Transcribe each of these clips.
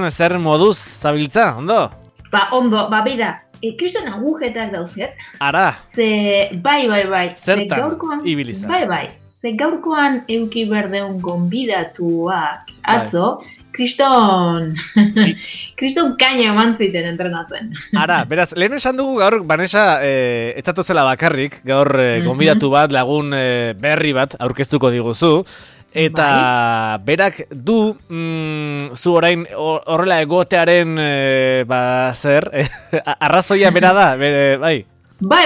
Zer moduz zabiltza, ondo? Ondo, bida, kriston agujetak dauzet. Ara. Bai. Zertan ibiliza. Bai. Ze gaurkoan euki berdeun gonbidatuak atzo, kriston kaina eman ziten entrenatzen. Ara, beraz, lehen esan dugu gaur, Vanessa, etzatozela bakarrik, gaur gonbidatu bat, lagun berri bat aurkeztuko diguzu. Eta berak du zu orain horrela egotearen zer, arrazoia bera da, bai. Bai,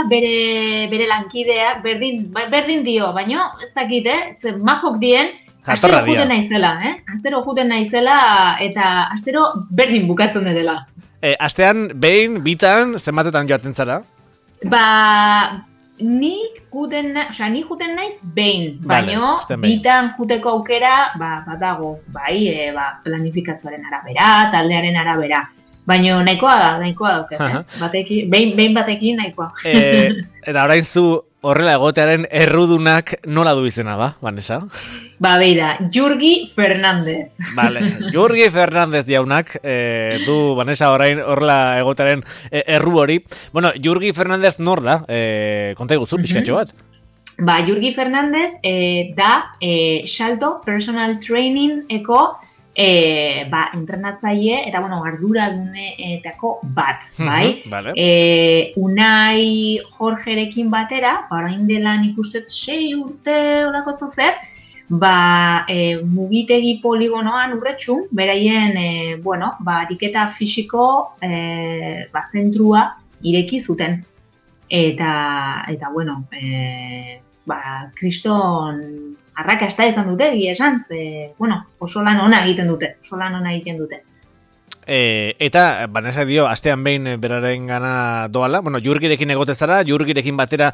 bere lankideak berdin dio, baina ez dakit, ze majok dien, astero juten naizela eta astero berdin bukatzen dela. Astean, behin, bitan, zenbatetan joaten zara? Nik juten naiz behin, baina bitan juteko aukera badago, planifikazioaren arabera, taldearen arabera. Baina nahikoa dauket, behin batekin nahikoa. Eta orain zu horrela egotearen errudunak nola du izena, Vanessa? Beira, Jurgi Fernandez. Vale, Jurgi Fernandez jaunak du Vanessa orain horrela egotearen erru hori. Bueno, Jurgi Fernandez nor da? Konta iguzu, pixkatxo bat? Jurgi Fernandez da Salto Personal Training eko entrenatzaile eta arduraduneetako bat, bai? Vale. Unai Jorgerekin batera, orain dela nik uste 6 urte olako zozer, mugitegi poligonoan urretxun, beraien, ariketa fisiko zentrua ireki zuten. Eta kriston arrakasta izan dute, esan, oso lan ona egiten dute. Eta, Vanessa dio, astean behin beraren gana doala, Jurgirekin egote zara, Jurgirekin batera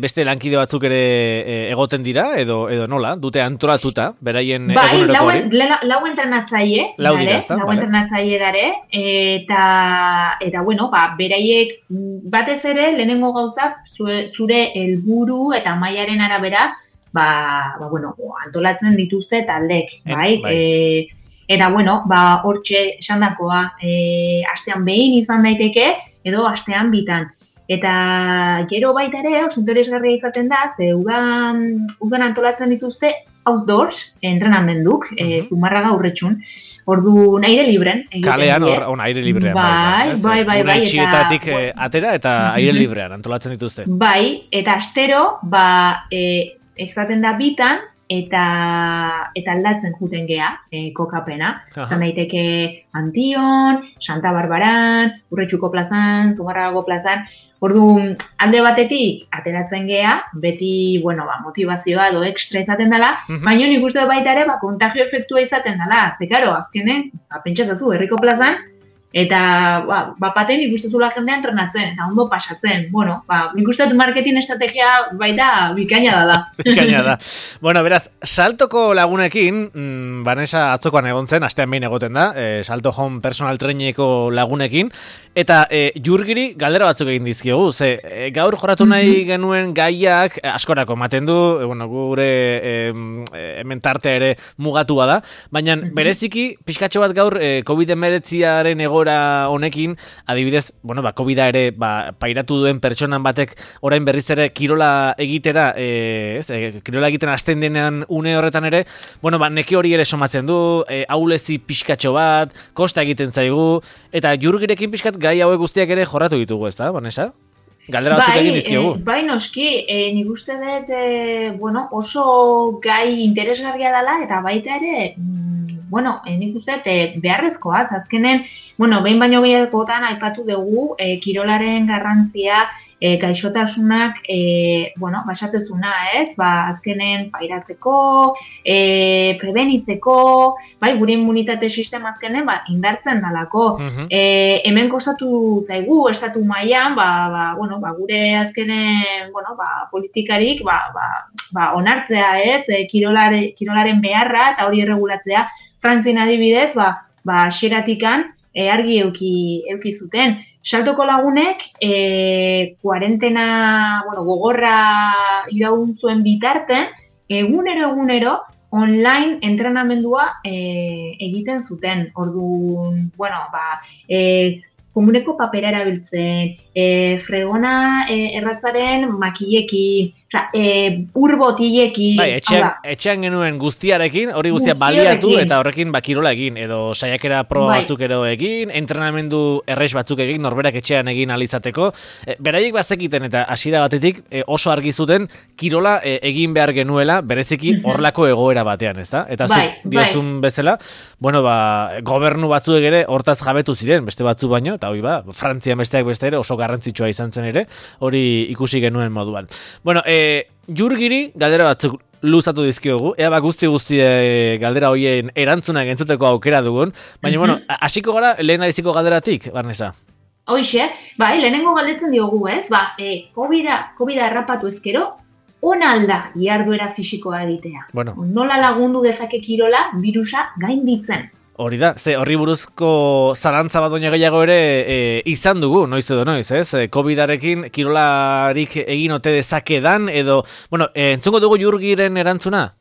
beste lankide batzuk ere egoten dira, edo nola, dute antolatuta, beraien eguneroko hori? Lau entrenatzaile dare, eta beraiek batez ere, lehenengo gauzak, zure helburu eta mailaren arabera, antolatzen dituzte taldek, bai? Eta, hortxe esandakoa, astean behin izan daiteke, edo astean bitan. Eta gero baita ere, oso interesgarria izaten da, ze udan antolatzen dituzte outdoors entrenamenduk, Zumarraga urretxun. Ordu aire libren. Kalean, aire librean. Bai. Una itxietatik atera eta aire librean antolatzen dituzte. Bai, eta astero, esaten da bitan, eta aldatzen juten gea, kokapena. Zan daiteke Antion, Santa Barbaran, Urretxuko plazan, Zumarragago plazan. Ordu, alde batetik ateratzen gea, beti, motivazioa edo ekstra izaten dela, baina nik uste baita ere, kontagio efektua izaten dela. Ze, karo, azkenen, pentsazazu, herriko plazan, eta, bapaten ikustezula jendea entrenatzen, eta ondo pasatzen. Nik uste marketing estrategia baita bikaina da. Bikaina da. Beraz, Saltoko lagunekin, Vanessa atzokoan egon zen, astean behin egoten da, Salto Home Personal Trainingeko lagunekin, eta Jurgiri galdera batzuk egin dizkiogu, gaur jorratu nahi genuen gaiak askorako ematen du, gure hemen tartea ere mugatua da, baina bereziki, pixkatxo bat gaur COVID-19aren honekin, adibidez, COVID-a ere pairatu duen pertsonan batek orain berriz ere kirola egitera, kirola egiten hasten denean une horretan ere, neki hori ere somatzen du, aulezi pixkatxo bat, kosta egiten zaigu, eta Jurgirekin pixkat gai hauek guztiak ere jorratu ditugu, ez da, Vanessa? Galdera batzuk egin dizkiogu. Bai, noski, nik uste dut, oso gai interesgarria dela, eta baita ere, nik uste beharrezkoa, azkenen, behin baino gehiagotan aipatu dugu, kirolaren garrantzia, gaixotasunak, basatezuna, ez? Azkenen pairatzeko, prebenitzeko, gure immunitate sistema azkenen, indartzen dalako. Hemen kostatu zaigu, estatu mailan, gure azkenen, politikarik, onartzea, ez? Kirolaren beharra, eta hori erregulatzea, Frantzien adibidez, xeratikan, argi euki zuten. Saltoko lagunek, kuarentena, gogorra iraun zuen bitarten, egunero, online entrenamendua egiten zuten. Orduan, bueno, komuneko papera erabiltzen, fregona erratzaren makilekin, urbotilekin. Bai, etxean genuen guztiarekin, hori guztia baliatu eta horrekin kirola egin, edo saiakera proba batzuk ero egin, entrenamendu errex batzuk egin, norberak etxean egin alizateko. Beraiek bazekiten eta hasiera batetik oso argi zuten kirola egin behar genuela, bereziki horlako egoera batean, ezta? Eta zuk diozun bezala, bueno, gobernu batzuek ere hortaz jabetu ziren, beste batzu baino, eta hori Frantzian besteak beste ere oso garrantzitsua izan zen ere, hori ikusi genuen moduan. Bueno, Jurgiri galdera batzuk luzatu dizkiogu, ea guzti galdera hoien erantzunak entzuteko aukera dugun, baina, bueno, hasiko gara lehen biziko galderatik, Barnesa? Hoxe, lehenengo galdetzen diogu, ez? COVID-a errapatu ezkero, ona alda jarduera fisikoa egitea. Bueno. Nola lagundu dezake kirola virusa gainditzen? Hori da, horri buruzko zalantza bat baino gehiago ere izan dugu, noiz edo noiz, ez? COVID-arekin kirolarik egin ote dezakedan, edo, bueno, entzungo dugu Jurgiren erantzuna?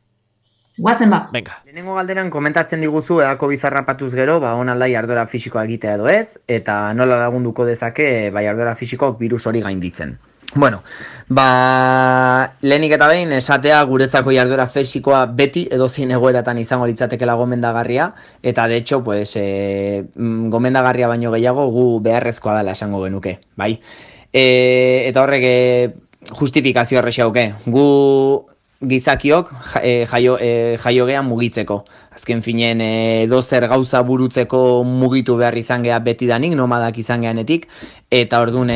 Guazen Venga. Lehenengo galderan komentatzen diguzu, COVID harrapatuz gero, onalda jarduera fisikoa egitea edo ez, eta nola lagunduko dezake, jarduera fisikoak virus hori gainditzen. Bueno, lehenik eta behin esatea guretzako jarduera fisikoa beti edozein egoeratan izango litzatekela gomendagarria, eta de hecho, gomendagarria baino gehiago gu beharrezkoa dela esango genuke, bai? Eta horrek justifikazioa errexauke, gu gizakiok jaiogean mugitzeko. Azken finen dozer gauza burutzeko mugitu behar izan gea betidanik, nomadak izan geanetik, eta orduan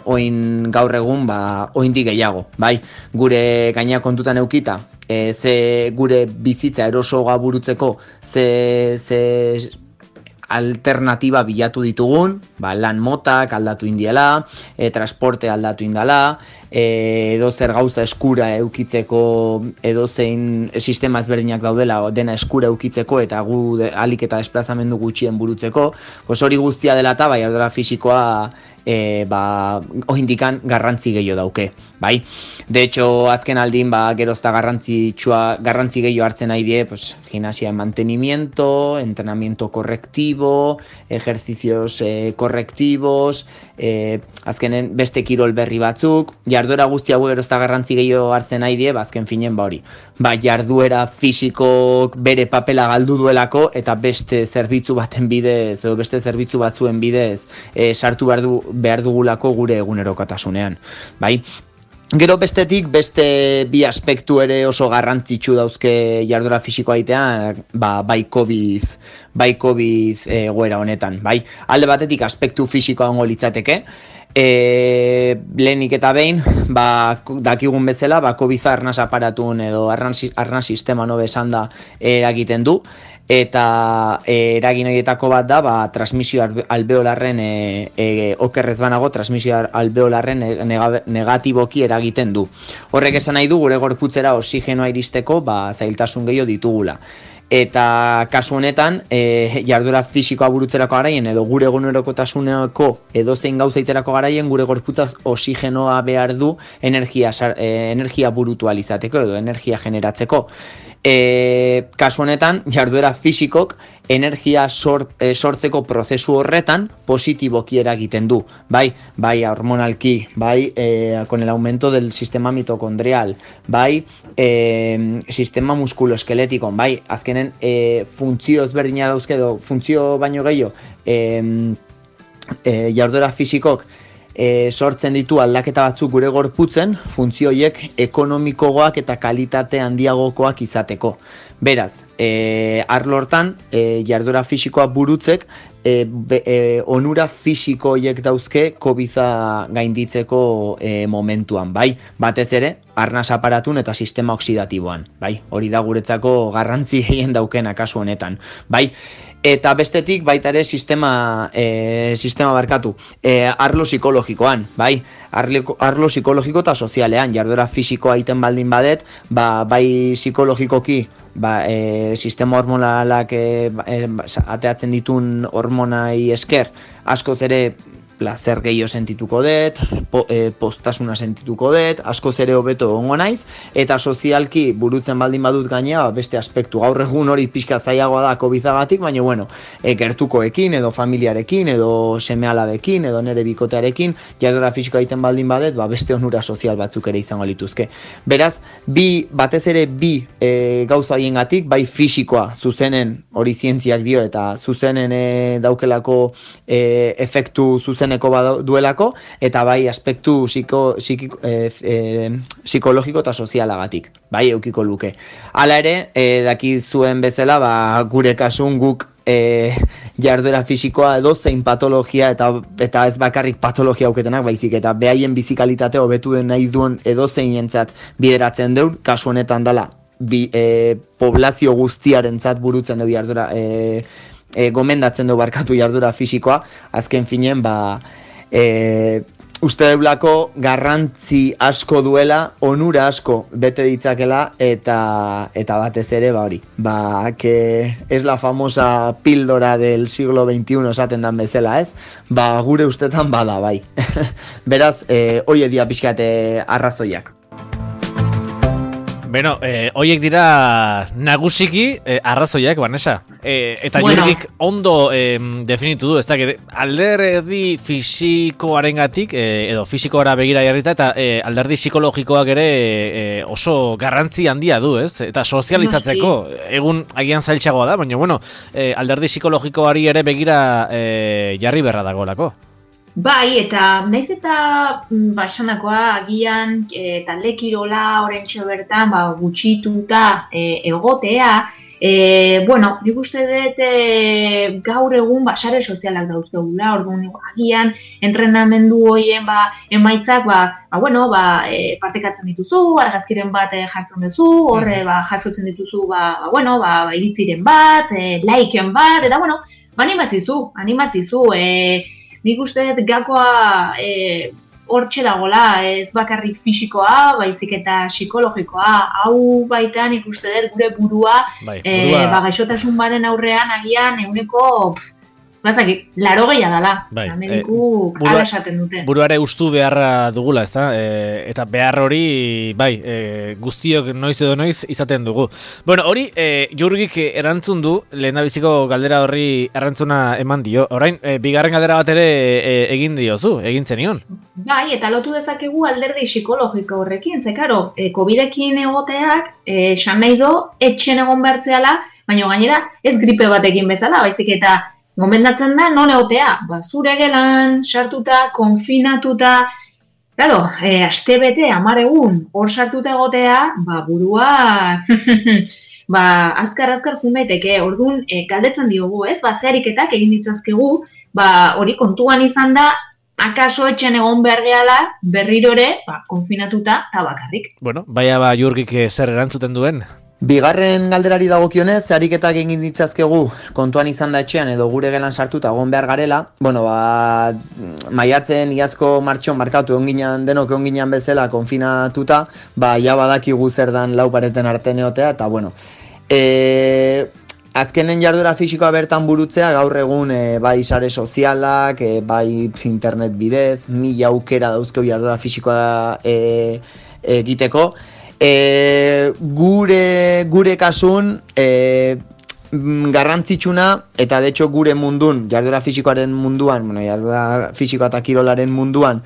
oin gaur egun oindik gehiago, bai? Gure gaina kontutan eukita, ze gure bizitza erosoa burutzeko ze alternatiba bilatu ditugun, lan motak aldatu indiela, transporte aldatu indala, edozer gauza eskura eukitzeko, edozein sistema ezberdinak daudela dena eskura eukitzeko eta gu alik eta desplazamendu gutxien burutzeko, hori guztia dela eta jarduera fisikoa oindikan garrantzi gehiago dauke, bai? De hecho, azken aldin, gerozta garrantzi gehiago hartzen nahi die, gimnasia en mantenimiento, entrenamiento correctivo, ejercicios correctivos, azkenen beste kirol berri batzuk, jarduera guzti hau gerozta garrantzi gehiago hartzen nahi die, azken finen hori. Jarduera fisiko bere papela galdu duelako eta beste zerbitzu baten bidez, edo beste zerbitzu batzuen bidez, sartu behar dugulako gure egunerokotasunean, bai? Gero bestetik, beste bi aspektu ere oso garrantzitsu dauzke jarduera fisikoa egitea, bai COVID egoera honetan, bai? Alde batetik aspektu fisikoa ongo litzateke, lehenik eta behin, dakigun bezala, COVID-a arnaz aparatun edo arnaz sistema nobe esan da eragiten du, eta eragin horietako bat da, transmisio alveolarren okerrez banago, transmisio alveolarren negatiboki eragiten du. Horrek esan nahi du, gure gorputzera oxigenoa iristeko, zailtasun gehiago ditugula. Eta kasu honetan, jarduera fisikoa burutzerako garaien edo gure egunerokotasuneko edozein gauzaiterako garaien gure gorputzak oxigenoa behar du energia burutu alizateko edo energia generatzeko. Kasu honetan, jarduera fisikok energia sortzeko prozesu horretan positiboki eragiten du, bai hormonalki, bai con el aumento del sistema mitocondrial, bai sistema muskuloeskeletiko, bai azkenen funtzio ezberdina dauzke edo funtzio baino gehiago jarduera fisikok sortzen ditu aldaketa batzuk gure gorputzen, funtzio horiek ekonomikoagoak eta kalitate handiagokoak izateko. Beraz, arlo hortan, jarduera fisikoa burutzek, onura fisiko horiek dauzke COVID-a gainditzeko momentuan, bai? Batez ere, arnaz aparatun eta sistema oksidatiboan, bai? Hori da guretzako garrantzi gehien daukena kasu honetan, bai? Eta bestetik baita ere sistema barkatu, arlo psikologikoan, bai? Arlo psikologiko eta sozialean, jarduera fisikoa egiten baldin badet, bai psikologikoki, sistema hormonalak ateatzen ditun hormonai esker, askoz ere placer gehiago sentituko dut, postasuna sentituko dut, askoz ere hobeto egongo naiz, eta sozialki burutzen baldin badut gainea, beste aspektu, gaur egun hori pixka zailagoa da COVID-agatik, baina bueno, gertukoekin, edo familiarekin, edo seme-alabekin, edo nere bikotearekin, jarduera fisikoa egiten baldin badet, beste onura sozial batzuk ere izango lituzke. Beraz, batez ere bi gauza haiengatik, bai fisikoa, zuzenen hori zientziak dio, eta zuzenen daukelako efektu zuzeneko duelako, eta bai aspektu psikologiko eta sozialagatik, bai eukiko luke. Hala ere, daki zuen bezala, gure kasun guk jarduera fisikoa edozein patologia eta ez bakarrik patologia auketenak, baizik eta behaien bizikalitate hobetu den nahi duen edozeinentzat bideratzen deun, kasu honetan dela poblazio guztiarentzat burutzen du jarduera gomendatzen du barkatu jarduera fisikoa, azken finen uste deulako garrantzi asko duela, onura asko bete ditzakela, eta batez ere hori, que es la famosa píldora del siglo XXI esaten dan bezala, ez? Gure ustetan bada, bai. Beraz, hoie dia pixkate arrazoiak. Beno, hoiek dira nagusiki arrazoiak, Vanessa. Eta Jurgik ondo definitu du, ez da, alderdi fisikoarengatik edo fisikoara begira jarrita, eta alderdi psikologikoak ere oso garrantzi handia du, ez? Eta sozializatzeko, egun agian zailtxagoa da, baina, bueno, alderdi psikologikoari ere begira jarri berra dagoelako. Bai, eta naiz eta basanakoa agian talde kirola orentxo bertan gutxituta egotea, nik uste dut gaur egun sare sozialak dauzkegula, orduan agian entrenamendu horien emaitzak partekatzen dituzu, argazkiren bat jartzen duzu, horre jasotzen dituzu iritziren bat, laiken bat, eta animatzizu, nik uste dut gakoa hortxe dagoela, ez bakarrik fisikoa, baizik eta psikologikoa, hau baita nik uste dut gure burua, gaixotasun baten aurrean agian eguneko, laro gehiago dela, medikuk ala esaten dute. Buruare ustu beharra dugula, ez da? Eta behar hori, guztiok noiz edo noiz izaten dugu. Bueno, hori, Jurgik erantzun du, lehendabiziko galdera horri erantzuna eman dio. Orain, bigarren galdera bat ere egin diozu, egin zenion. Bai, eta lotu dezakegu alderdi psikologiko horrekin, karo, COVID-ekin egoteak, esan nahi do, etxen egon behartzeala, baina gainera ez gripe batekin bezala, baizik eta gomendatzen da non egotea, zure gelan, sartuta, konfinatuta, claro, aste bete, 10 egun, hor sartuta egotea, burua, azkar jun daiteke, orduan, galdetzen diogu, ez, zehariketak egin ditzazkegu, hori kontuan izan da, akaso etxen egon behar gehala, berriro ere, konfinatuta, eta bakarrik. Bueno, Jurgik zer erantzuten duen? Bigarren galderari dagokionez, ariketak egin ditzazkegu kontuan izan da etxean edo gure gelan sartuta egon behar garela, maiatzen iazko martxon markatu denok egon ginen bezala konfinatuta, ja badakigu zer dan lau pareten arte neotea, eta azkenen jarduera fisikoa bertan burutzea, gaur egun bai sare sozialak, bai internet bidez, 1000 aukera dauzkeu jarduera fisikoa egiteko, gure kasun garrantzitsuna, eta de hecho gure mundun, jarduera fisikoaren munduan, jarduera fisikoa eta kirolaren munduan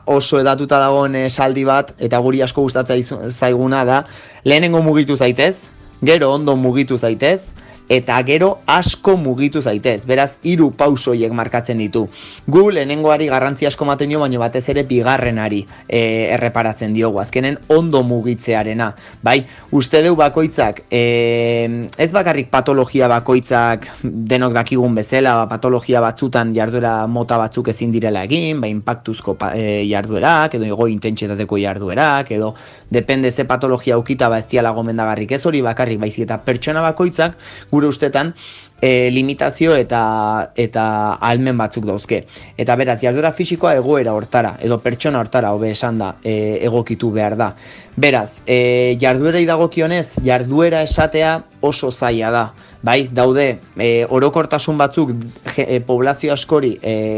oso edatuta dagoen esaldi bat, eta guri asko gustatzen zaiguna da, lehenengo mugitu zaitez, gero ondo mugitu zaitez, eta gero asko mugitu zaitez. Beraz, 3 pausoiek markatzen ditu. Gu lehenengoari garrantzi asko ematen dio, baina batez ere bigarrenari erreparatzen diogu. Azkenen ondo mugitzearena. Bai, uste deu bakoitzak, ez bakarrik patologia bakoitzak denok dakigun bezala, patologia batzutan jarduera mota batzuk ezin direla egin, inpaktuzko jarduerak, edo ego intentsitateko jarduerak, edo depende ze patologia aukita ez diala gomendagarrik, ez hori bakarrik, baizik eta pertsona bakoitzak gure ustetan limitazio eta ahalmen batzuk dauzke. Eta beraz, jarduera fisikoa egoera hortara, edo pertsona hortara, hobe esan da, egokitu behar da. Beraz, jarduerei dagokionez, jarduera esatea oso zaila da. Bai, daude, orokortasun batzuk poblazio askori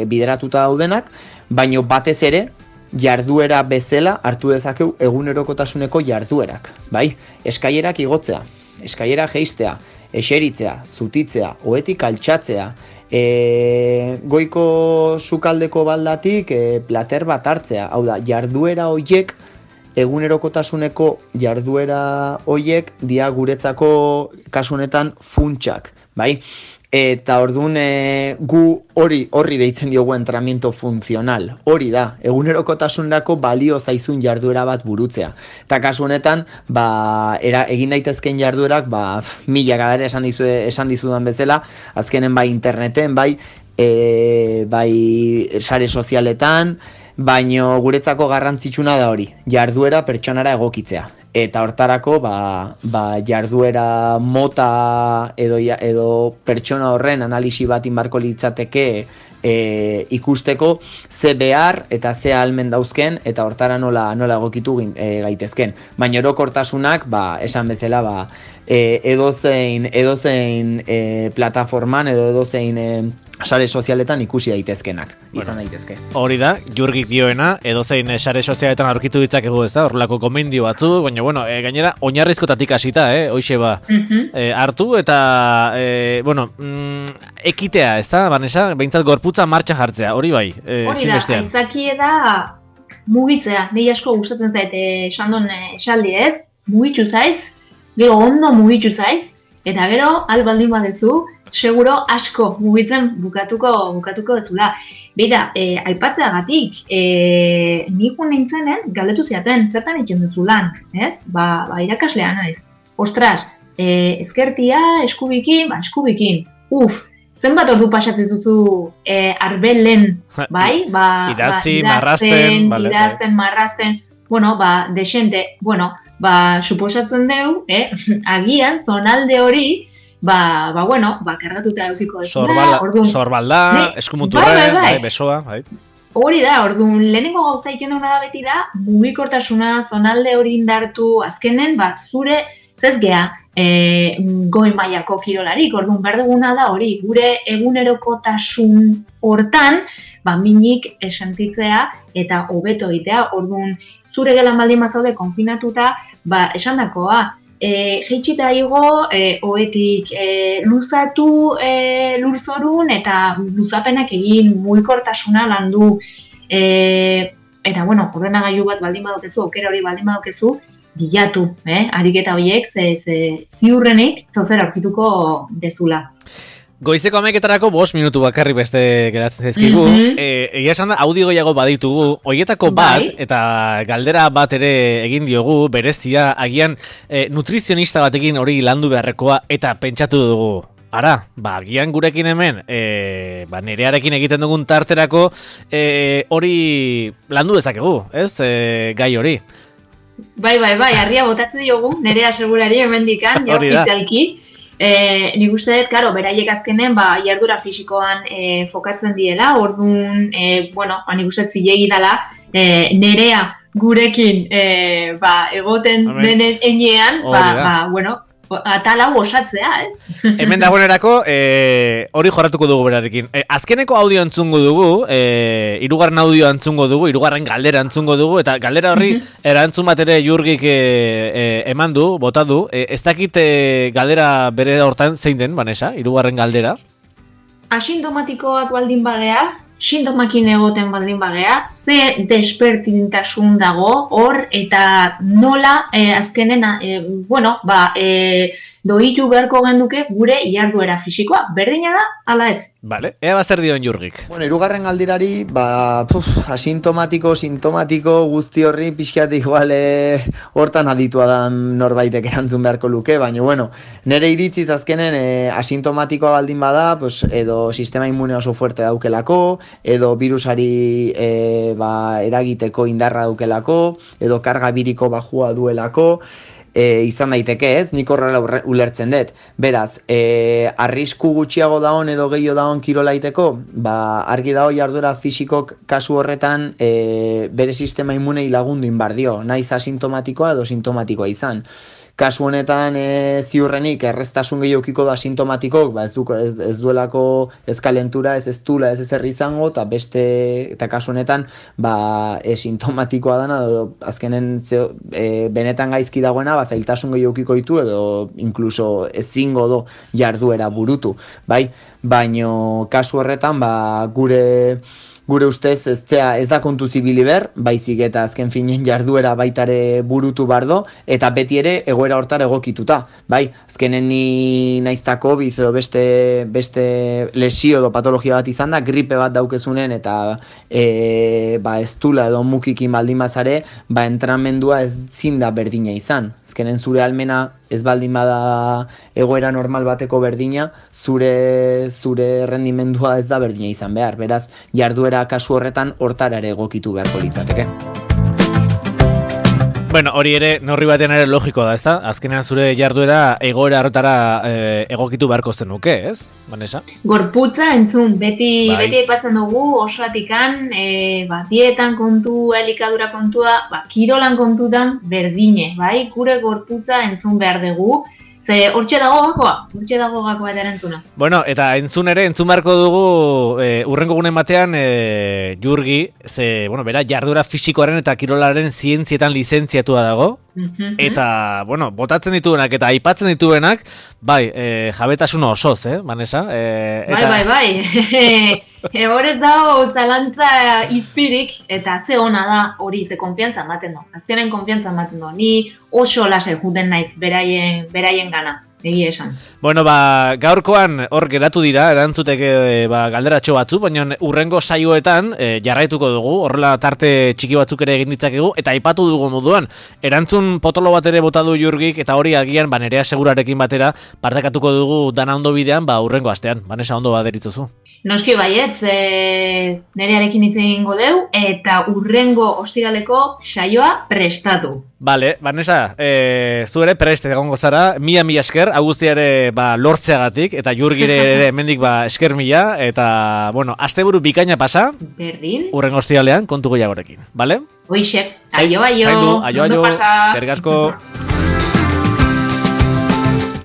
bideratuta daudenak, baino batez ere, jarduera bezala hartu dezakeu egunerokotasuneko jarduerak. Bai, eskailerak igotzea, eskailera jeistea, eseritzea, zutitzea, ohetik altxatzea, goiko sukaldeko baldatik plater bat hartzea. Hau da, jarduera hoiek, egunerokotasuneko jarduera hoiek dia guretzako kasunetan funtsak, bai? Eta orduan gu horri deitzen diogu entrenamiento funtzional. Hori da, egunerokotasunerako balio zaizun jarduera bat burutzea. Eta kasu honetan, egin daitezken jarduerak, mila gadera esan dizudan bezala, azkenen bai interneten, bai sare sozialetan, baino guretzako garrantzitsuna da hori, jarduera pertsonara egokitzea. Eta hortarako, jarduera mota edo pertsona horren analisi bat inbarko litzateke ikusteko ze behar eta ze ahalmen dauzken eta hortara nola egokitu gaitezken. Baina orokortasunak, esan bezala, edozein plataforman edo edozein sare sozialetan ikusi daitezkenak, izan daitezke. Hori da, Jurgik dioena, edozein sare sozialetan aurkitu ditzakegu, ez da, horrelako gomendio batzu, baina, gainera, oinarrizkotatik hasita, hoixe hartu, eta, ekitea, ez da, Vanessa, behintzat gorputza martxan jartzea, hori bai, hori da, aitzakie da mugitzea, nahi asko gustatzen zait, Xandon esaldi ez, mugitu zaiz, gero ondo mugitu zaiz, eta gero, albaldin badezu, seguro asko mugitzen bukatuko dezula. Beira, aipatzeagatik, niko nintzenen galdetu ziaten, zertan egiten duzu lan, ez? Irakaslea naiz. Ostras, ezkertia, eskubikin, zenbat ordu pasatzen duzu arbelen, bai? Idazten, marrazten, desente, suposatzen deu, agian, zonalde hori, kargatuta eukiko desuna. Sorbalda, eskumuturre, besoa, bai. Hori da, orduan, lehenengo gauza egiten duguna da beti da, mugikortasuna, zonalde hori indartu, azkenen, zure, zezgea, goi mailako kirolarik, orduan, behar duguna da hori, gure egunerokotasun hortan, minik esentitzea eta hobeto egitea, orduan, zure gelan baldin bazaude konfinatuta, esandakoa, jeitxita igo, ohetik luzatu lurzorun eta luzapenak egin mugikortasuna landu eta ordenagailu bat baldin badokezu, aukera hori baldin badokezu, bilatu, ariketa horiek ziurrenik zauzera aurkituko dezula. Goizeko 11etarako 5 minutu bakarri beste geratzen zaizkigu. Egia esan da, audio gehiago baditugu, horietako bat, eta galdera bat ere egin diogu, berezia, agian nutrizionista batekin hori landu beharrekoa, eta pentsatu dugu. Ara, agian gurekin hemen, nerearekin egiten dugun tarterako, hori landu dezakegu, ez? Gai hori. Bai, harria botatzen diogu, nerea segurari hemendikan, ja ofizialki. Nik uste dut, beraiek azkenen jardura fisikoan fokatzen diela, orduan, nik uste dut zilegi dela, nerea gurekin egoten denen enean, atal hau osatzea, ez? Hemen dagoenerako, hori jorratuko dugu berarekin. Azkeneko audio entzungo dugu, hirugarren audio entzungo dugu, hirugarren galdera entzungo dugu, eta galdera horri erantzun bat ere Jurgik eman du, bota du. Ez dakit galdera bere hortan zein den, Vanessa, hirugarren galdera? Asintomatikoak baldin bagea, sintomakin egoten baldin bagea, ze despertintasun dago hor eta nola azkenen doitu beharko genduke gure jarduera fisikoa. Berdina da, ala ez? Vale, ea bazer dion Jurgik. Hirugarren galdirari, asintomatiko, sintomatiko guzti horri pixkat igual hortan aditua da norbaitek erantzun beharko luke, baina nire iritziz azkenen asintomatikoa baldin bada, edo sistema immune oso fuerte daukelako, edo virusari eragiteko indarra daukelako, edo karga biriko bajua duelako, izan daiteke ez, nik horrela ulertzen dut. Beraz, arrisku gutxiago daon edo gehiago daon kirolaiteko, argi dago jarduera fisikok kasu horretan bere sistema immunei lagundu inbardio, naiz asintomatikoa edo sintomatikoa izan. Kasu honetan ziurrenik erreztasun gehiokiko da sintomatikok, ez duelako ez kalentura, ez dula, ez ezer izango, eta kasu honetan sintomatikoa dana, azkenen benetan gaizki dagoena, zailtasun gehiokiko ditu edo inkluso ezingo do jarduera burutu, bai? Baino kasu horretan gure ustez ez da kontu zibili ber, baizik eta azken finen jarduera baitare burutu bardo, eta beti ere egoera hortar egokituta. Bai, azkenen ni naizta COVID edo beste lesio edo patologia bat izan da, gripe bat daukezunen eta ez dula edo mukikin baldin bazare, entrenamendua ez zinda berdina izan. Azkenen zure almena ez baldin bada egoera normal bateko berdina, zure rendimendua ez da berdina izan behar. Beraz, jarduera kasu horretan hortara ere egokitu beharko litzateke. Bueno, hori ere, neurri batean ere logiko da, ezta? Azkenean zure jarduera egoera horretara egokitu beharko zenuke, ez? Vanessa? Gorputza entzun, beti aipatzen dugu osoatikan, dietan kontua, elikadura kontua, kirolan kontutan berdine, bai? Gure gorputza entzun behar dugu. Ze hortxe dago gakoa eta erantzuna. Bueno, eta entzun beharko dugu urrengo gunen batean Jurgi, bera jarduera fisikoaren eta kirolaren zientzietan lizentziatua dago. Eta, botatzen dituenak eta aipatzen dituenak, jabetasun osoz, Vanessa? Bai. Horrez dago zalantza izpirik, eta ze ona da hori, ze konfiantza ematen du. Azkenen konfiantza ematen du. Ni oso lase juten naiz beraien gana. Egia esan. Bueno, gaurkoan hor geratu dira, erantzuteke galderatxo batzu, baina urrengo saioetan jarraituko dugu, horrela tarte txiki batzuk ere egin ditzakegu, eta aipatu dugu moduan, erantzun potolo bat ere bota du Jurgik, eta hori agian, Nerea Segurarekin batera, partekatuko dugu dana ondo bidean, urrengo astean. Vanessa, ondo baderitzuzu. Noski baietz, Nerearekin hitz egingo deu, eta urrengo ostiraleko saioa prestatu. Vale, Vanessa, zu ere prest egongo zara, mila esker, Agustia ere lortzeagatik, eta Jurgire ere hemendik esker mila, eta, asteburu bikaina pasa, berdin, urrengo ostiralean kontu gehiagorekin, bale? Hoixe, aio, zaindu, aio, ondo pasa. Eskerrik asko.